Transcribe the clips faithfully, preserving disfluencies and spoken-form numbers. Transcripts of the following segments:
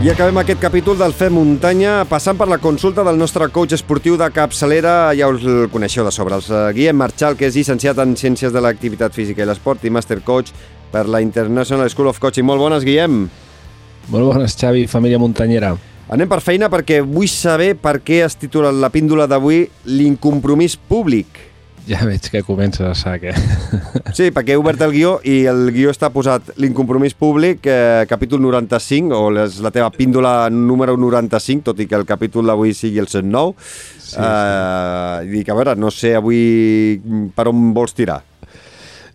I acabem aquest capítol del Fem Muntanya passant per la consulta del nostre coach esportiu de capçalera. Ja us el coneixeu de sobre, el Guillem Marchal, que és llicenciat en Ciències de l'Activitat Física i l'Esport i Master Coach per la International School of Coaching. Molt bones, Guillem. Molt bones, Xavi, família muntanyera. Anem per feina perquè vull saber per què es titula la píndola d'avui l'incompromís públic. Ja veig que comences a saber. Sí, perquè he obert el guió i el guió està posat l'incompromís públic, eh, capítol noranta-cinc, o és la teva píndola número noranta-cinc, tot i que el capítol d'avui sigui el cent nou. Sí, eh, sí. Dic, a veure, no sé avui per on vols tirar.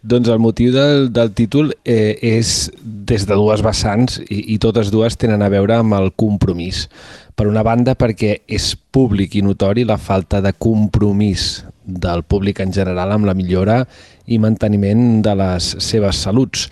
Doncs el motiu del, del títol eh, és des de dues vessants i, i totes dues tenen a veure amb el compromís. Per una banda, perquè és públic i notori la falta de compromís del públic en general amb la millora i manteniment de les seves saluts.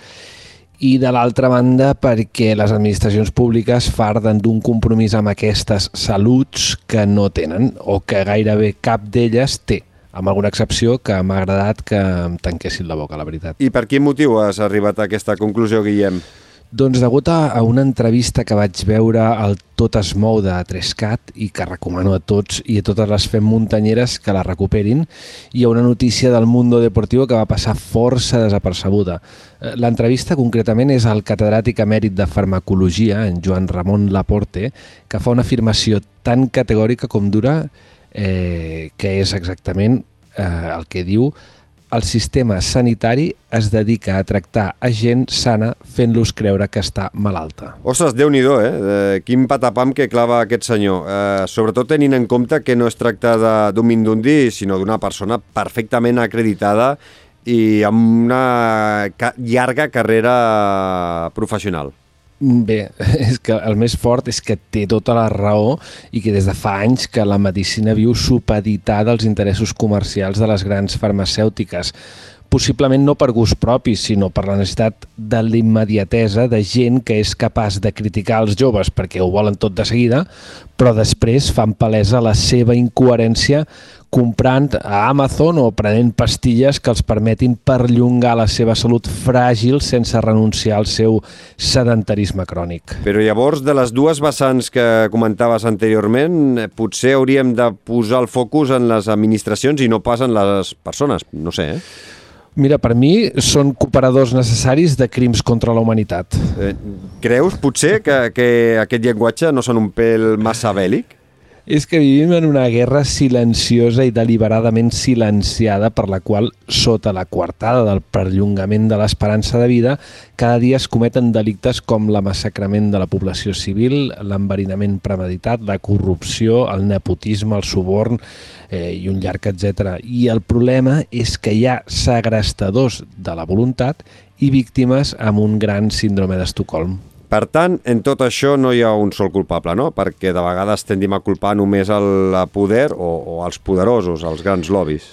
I de l'altra banda, perquè les administracions públiques farden d'un compromís amb aquestes saluts que no tenen o que gairebé cap d'elles té, amb alguna excepció que m'ha agradat que em tanquessin la boca, la veritat. I per quin motiu has arribat a aquesta conclusió, Guillem? Doncs degut a una entrevista que vaig veure al Tot es mou de Trescat i que recomano a tots i a totes les Fem Muntanyeres que la recuperin, hi ha una notícia del Mundo Deportivo que va passar força desapercebuda. L'entrevista concretament és al catedràtic emèrit de farmacologia, en Joan Ramon Laporte, que fa una afirmació tan categòrica com dura, eh, que és exactament eh, el que diu: el sistema sanitari es dedica a tractar a gent sana fent-los creure que està malalta. Ostres, Déu-n'hi-do, eh? Quin patapam que clava aquest senyor. Eh, sobretot tenint en compte que no es tracta d'un mindundi, sinó d'una persona perfectament acreditada i amb una ca- llarga carrera professional. Bé, és que el més fort és que té tota la raó i que des de fa anys que la medicina viu supeditada als interessos comercials de les grans farmacèutiques. Possiblement no per gust propi, sinó per la necessitat de l'immediatesa de gent que és capaç de criticar els joves perquè ho volen tot de seguida, però després fan palesa la seva incoherència comprant a Amazon o prenent pastilles que els permetin perllongar la seva salut fràgil sense renunciar al seu sedentarisme crònic. Però llavors, de les dues vessants que comentaves anteriorment, potser hauríem de posar el focus en les administracions i no pas en les persones, no sé, eh? Mira, per mi són cooperadors necessaris de crims contra la humanitat. Eh, creus, potser, que, que aquest llenguatge no són un pèl massa bèl·lic? És que vivim en una guerra silenciosa i deliberadament silenciada per la qual, sota la coartada del perllongament de l'esperança de vida, cada dia es cometen delictes com la massacrament de la població civil, l'enverinament premeditat, la corrupció, el nepotisme, el suborn eh, i un llarg etcètera. I el problema és que hi ha segrestadors de la voluntat i víctimes amb un gran síndrome d'Estocolm. Per tant, en tot això no hi ha un sol culpable, no? Perquè de vegades tendim a culpar només el poder o, o els poderosos, els grans lobbies.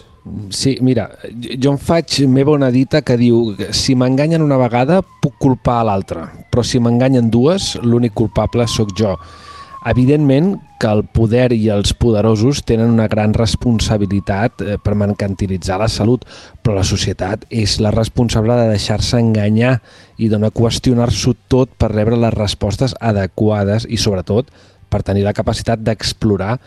Sí, mira, jo em faig meva una dita que diu: si m'enganyen una vegada puc culpar a l'altra, però si m'enganyen dues, l'únic culpable sóc jo. Evidentment que el poder i els poderosos tenen una gran responsabilitat per mercantilitzar la salut, però la societat és la responsable de deixar-se enganyar i de no qüestionar-s'ho tot per rebre les respostes adequades i, sobretot, per tenir la capacitat d'explorar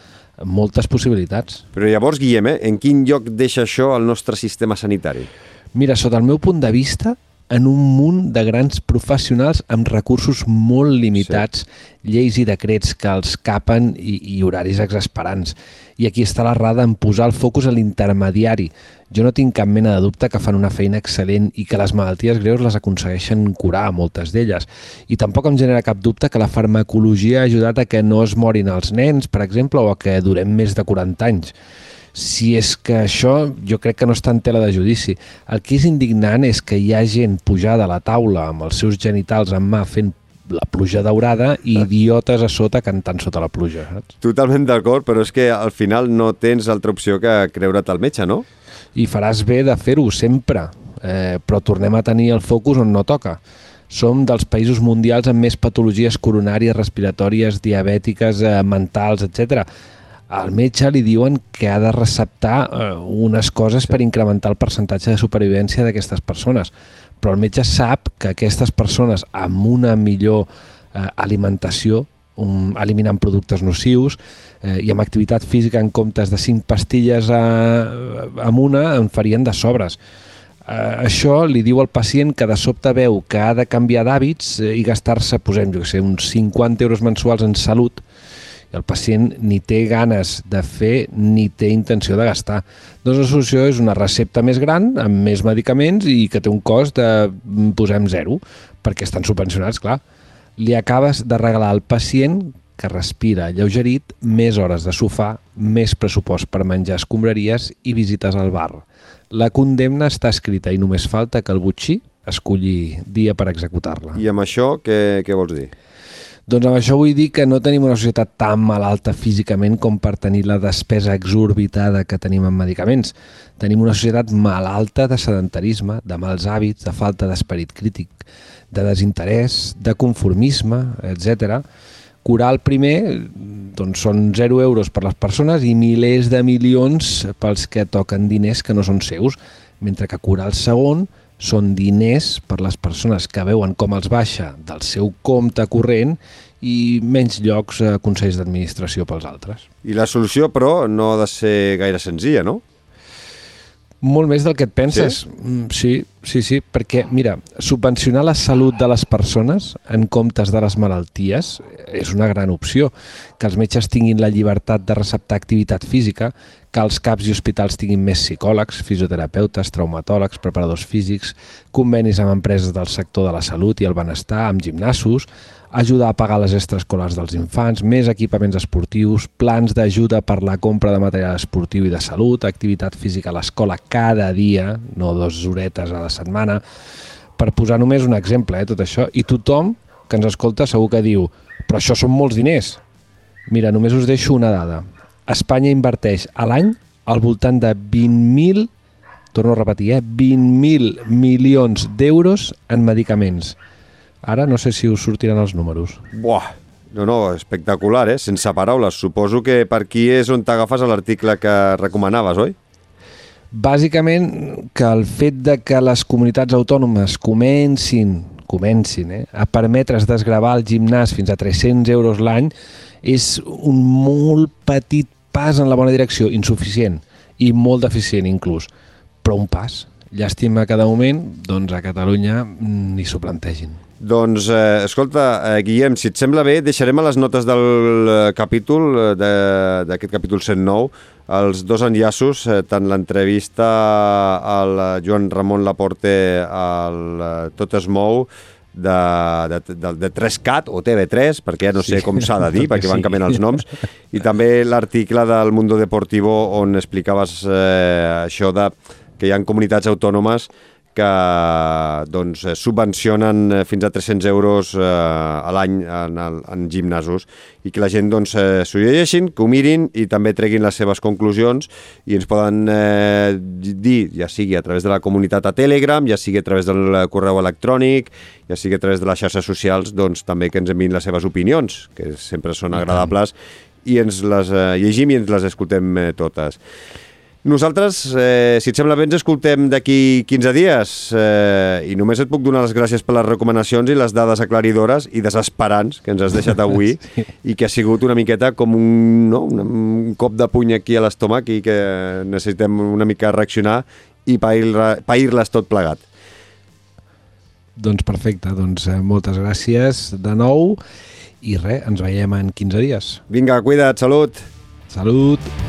moltes possibilitats. Però llavors, Guillem, eh, en quin lloc deixa això el nostre sistema sanitari? Mira, sota el meu punt de vista, en un munt de grans professionals amb recursos molt limitats, sí. Lleis i decrets que els capen i, i horaris exasperants. I aquí està l'errada en posar el focus a l'intermediari. Jo no tinc cap mena de dubte que fan una feina excel·lent i que les malalties greus les aconsegueixen curar, moltes d'elles. I tampoc em genera cap dubte que la farmacologia ha ajudat a que no es morin els nens, per exemple, o a que durem més de quaranta anys. Si és que això jo crec que no està en tela de judici. El que és indignant és que hi ha gent pujada a la taula amb els seus genitals en mà fent la pluja daurada i idiotes a sota cantant sota la pluja. Saps? Totalment d'acord, però és que al final no tens altra opció que creure't al metge, no? I faràs bé de fer-ho sempre, eh, però tornem a tenir el focus on no toca. Som dels països mundials amb més patologies coronàries, respiratòries, diabètiques, eh, mentals, etcètera. Al metge li diuen que ha de receptar eh, unes coses per incrementar el percentatge de supervivència d'aquestes persones. Però el metge sap que aquestes persones amb una millor eh, alimentació um, eliminant productes nocius, eh, i amb activitat física en comptes de cinc pastilles a, amb una en farien de sobres. Uh, això li diu al pacient que de sobte veu que ha de canviar d'hàbits eh, i gastar-se, posem, jo que sé, uns cinquanta euros mensuals en salut, i el pacient ni té ganes de fer ni té intenció de gastar. Doncs la solució és una recepta més gran, amb més medicaments i que té un cost de, posem, zero, perquè estan subvencionats, clar. Li acabes de regalar al pacient que respira alleugerit, més hores de sofà, més pressupost per menjar escombraries i visites al bar. La condemna està escrita i només falta que el botxí escolli dia per executar-la. I amb això què, què vols dir? Doncs amb això vull dir que no tenim una societat tan malalta físicament com per tenir la despesa exorbitada que tenim en medicaments. Tenim una societat malalta de sedentarisme, de mals hàbits, de falta d'esperit crític, de desinterès, de conformisme, etcètera. Curar el primer doncs són zero euros per les persones i milers de milions pels que toquen diners que no són seus, mentre que curar el segon són diners per les persones que veuen com els baixa del seu compte corrent i menys llocs a consells d'administració pels altres. I la solució, però, no ha de ser gaire senzilla, no? Molt més del que et penses. Sí? Sí, sí, sí, perquè, mira, subvencionar la salut de les persones en comptes de les malalties és una gran opció. Que els metges tinguin la llibertat de receptar activitat física, que els CAPs i hospitals tinguin més psicòlegs, fisioterapeutes, traumatòlegs, preparadors físics, convenis amb empreses del sector de la salut i el benestar, amb gimnasos, ajudar a pagar les extraescolars dels infants, més equipaments esportius, plans d'ajuda per la compra de material esportiu i de salut, activitat física a l'escola cada dia, no dues horetes a la setmana, per posar només un exemple, eh, tot això. I tothom que ens escolta segur que diu però això són molts diners. Mira, només us deixo una dada. Espanya inverteix a l'any al voltant de vint mil, torno a repetir, eh, vint mil milions d'euros en medicaments. Ara no sé si us sortiran els números. Buah, no, no, espectacular, eh? Sense paraules. Suposo que per aquí és on t'agafes l'article que recomanaves, oi? Bàsicament, que el fet de que les comunitats autònomes comencin, comencin eh, a permetre's desgravar el gimnàs fins a tres-cents euros l'any és un molt petit pas en la bona direcció, insuficient i molt deficient inclús, però un pas. Llàstima que de moment, doncs a Catalunya ni s'ho plantegin. Doncs, eh, escolta, eh, Guillem, si et sembla bé, deixarem a les notes del eh, capítol, eh, d'aquest capítol cent nou, els dos enllaços, eh, tant l'entrevista al Joan Ramon Laporte al eh, Tot es mou, de, de, de, de tres cat o T V tres, perquè ja no sé sí. com s'ha de dir, perquè van canviant els noms, i també l'article del Mundo Deportivo on explicaves eh, això de que hi ha comunitats autònomes que doncs, subvencionen fins a tres-cents euros eh, a l'any en, en gimnasos i que la gent doncs, eh, s'ho llegeixin, que ho mirin i també treguin les seves conclusions i ens poden eh, dir, ja sigui a través de la comunitat a Telegram, ja sigui a través del correu electrònic, ja sigui a través de les xarxes socials, doncs també que ens enviïn les seves opinions, que sempre són agradables, i ens les eh, llegim i ens les escoltem eh, totes. Nosaltres, eh, si et sembla bé, ens escoltem d'aquí quinze dies eh, i només et puc donar les gràcies per les recomanacions i les dades aclaridores i desesperants que ens has deixat avui sí. i que ha sigut una miqueta com un, no, un cop de puny aquí a l'estómac i que necessitem una mica reaccionar i pair-les tot plegat. Doncs perfecte, doncs eh, moltes gràcies de nou i res, ens veiem en quinze dies. Vinga, cuida't, salut! Salut!